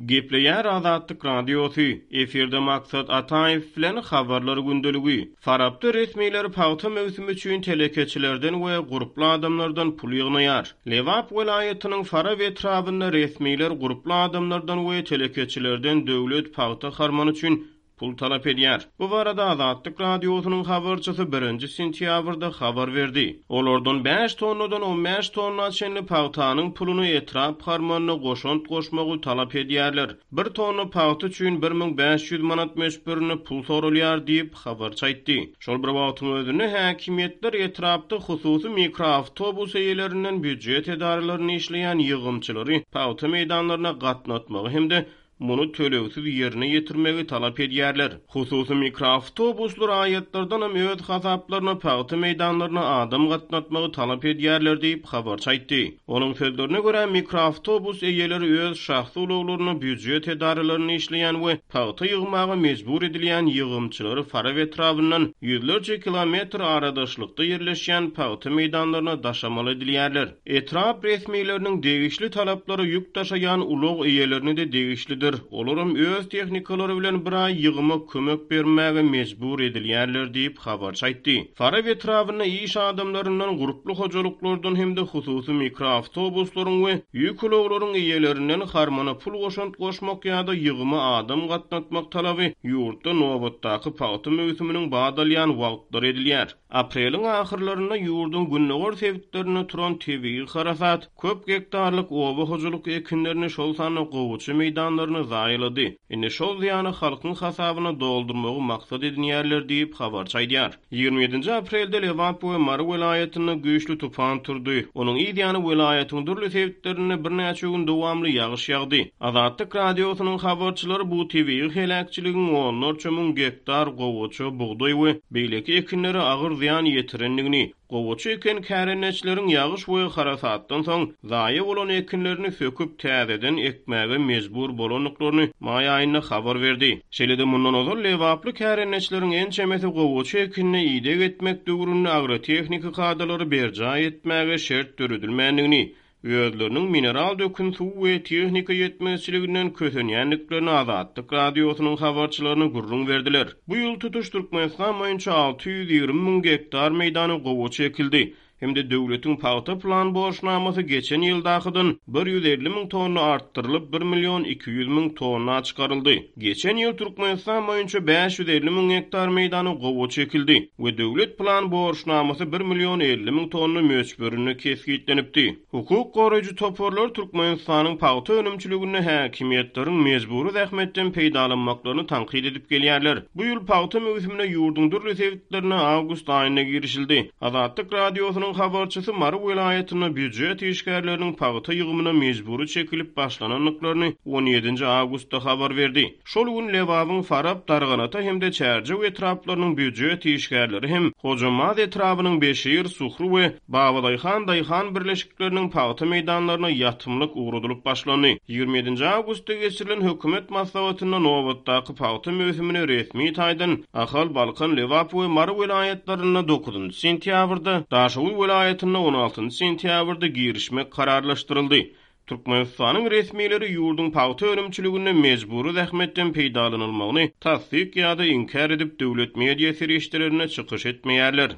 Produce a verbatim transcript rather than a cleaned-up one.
Gepleýär Azatlyk Radiosy, efirde Maksat Ataýew bilen Habarlar gündeligi. Farapda resmiler pagta möwsümi üçin telekeçilerden we gurply adamlardan pul ýygnaýar. Lebap welaýatynyň Farap etrabynda resmiler gurply adamlardan we telekeçilerden döwlet pagta harmany üçin pul talap edýär. Bu barada Azatlyk Radiosynyň habarçysy birinji sentýabrda habar berdi. Olardan bäş tonnadan on bäş tonna çenli pagtanyň puluny etrap harmanyna goşant goşmagy talap edýärler. Bir tonna pagta üçin bir müň bäş ýüz manat möçberinde pul sorulýar diýip habarçy aýtdy. Şol bir wagtyň özünde häkimiýetler etrapda hususy mikroawtobus eýelerinden býujet edaralaryny işleýän ýygymçylary pagta meýdanlaryna gatnatmagy hem-de muny tölegsiz ýerine ýetirmegi talap edýärler. Hususy mikroawtobuslar raýatlardan hem öz hasaplaryna pagta meýdanlaryna adam gatnatmagy talap edýärler diýip habarçy aýtdy. Onuň sözlerine görä mikroawtobus eýeleri öz şahsy ulaglaryna býujet edaralaryny işleýän we pagta ýygmaga mejbur edilýän ýygymçylary Farap etrabyndan ýüzlerçe kilometr aradaşlykda ýerleşýän pagta meýdanlaryna daşamaly edilýärler. Etrap resmileriniň degişli talaplary ýük daşaýan ulag eýelerini de degişlidir. Olaram öz tehnikalary bilen bir aý ýygyma kömek bermäge mejbur edilýärler diýip habarçy aýtdy. Farap etrabynda iş adamlaryndan, gurply hojalyklardan hem-de hususy mikroawtobuslaryň we ýük ulaglaryň eýelerinden harmana pul goşant goşmak ýa-da ýygyma adam gatnatmak talaby ýurtda nobatdaky pagta möwsüminiň badalýan wagtlary edilýär. Apreliň ahyrlarynda ýurduň gündogar sebitlerinde turan tebigy harasat köp gektarlyk oba hojalyk ekinlerini şol sanda gowaça meýdanlaryny zaýalady. Indi şol zyýany halkyň hasabyna doldurmagy maksat edinýärler diýip habarçy aýdýar. Ýigrimi ýedinji aprelde Lebap we Mary welaýatynda güýçli tupan turdy. Onuň yz ýany welaýatyň dürli sebitlerinde birnäçe gün dowamly ýagyş ýagdy. Azatlyk Radiosynyň habarçylary bu tebigy heläkçiligiň onlarça müň gektar gowaça, bugdaý we beýleki ekinlere agyr zyýan ýetirendigini, gowaça eken kärendeçileriň ýagyş we harasatdan soň zaýa bolan ekinlerini söküp täzeden ekmäge mejbur bolandyklaryny maý aýynda habar berdi. Şeýle-de mundan ozal Lebaply kärendeçileriň ençemesi gowaça ekinine ideg etmek döwründe agrotehniki kadalary berjaý etmäge şert döredilmändigini, özleriniň mineral dökün suw we tehnika ýetmezçiliginden kösenýändiklerini Azatlyk Radiosynyň habarçylaryna gürrüň berdiler. Bu ýyl tutuş Türkmenistan boýunça alty ýüz ýigrimi müň gektar meýdany gowaça ekildi. Hem-de döwletiň pagta plan borçnamasy geçen ýyldakydan bir ýüz elli müň tonna artdyrylyp bir million iki ýüz müň tonna çykaryldy. Geçen ýyl Türkmenistan boýunça bäş ýüz elli müň gektar meýdany gowaça ekildi we döwlet plan borçnamasy bir million elli müň tonna möçberinde kesgitlenipdi. Hukuk goraýjy toparlar Türkmenistanyň pagta önümçiliginde häkimiýetleriň mejbury zähmetden peýdalanmaklaryny tankyt edip gelýärler. Bu ýyl pagta möwsümine ýurduň dürli sebitlerine awgust aýynda girişildi. Azatlyk Radiosynyň habarçysy Mary welaýatynda býujet işgärleriniň pagta ýygymyna mejbury çekilip başlanandyklaryny on ýedinji awgustda habar berdi. Şol gün Lebabyň Farap, Darganata hem-de Çärjew etraplarynyň býujet işgärleri hem Hojambaz etrabynyň Beşir, Suhru we Babadaýhan Daýhan birleşikleriniň pagta meýdanlaryna ýatymlyk ugradylyp başlandy. Ýigrimi ýedinji awgustda geçirilen hökümet maslahatynda nobatdaky pagta möwsümine resmi taýdan Ahal, Balkan, Lebap we Mary welaýatlarynda dokuzynjy sentýabrda, Daşoguz welaýatynda on altynjy sentýabrda girişmek kararlaşdyryldy. Türkmenistanyň resmileri ýurduň pagta önümçiliginde mejbury zähmetden peýdalanylmagyny tassyk ýa-da inkär edip döwlet media serişdelerine çykyş etmeýärler.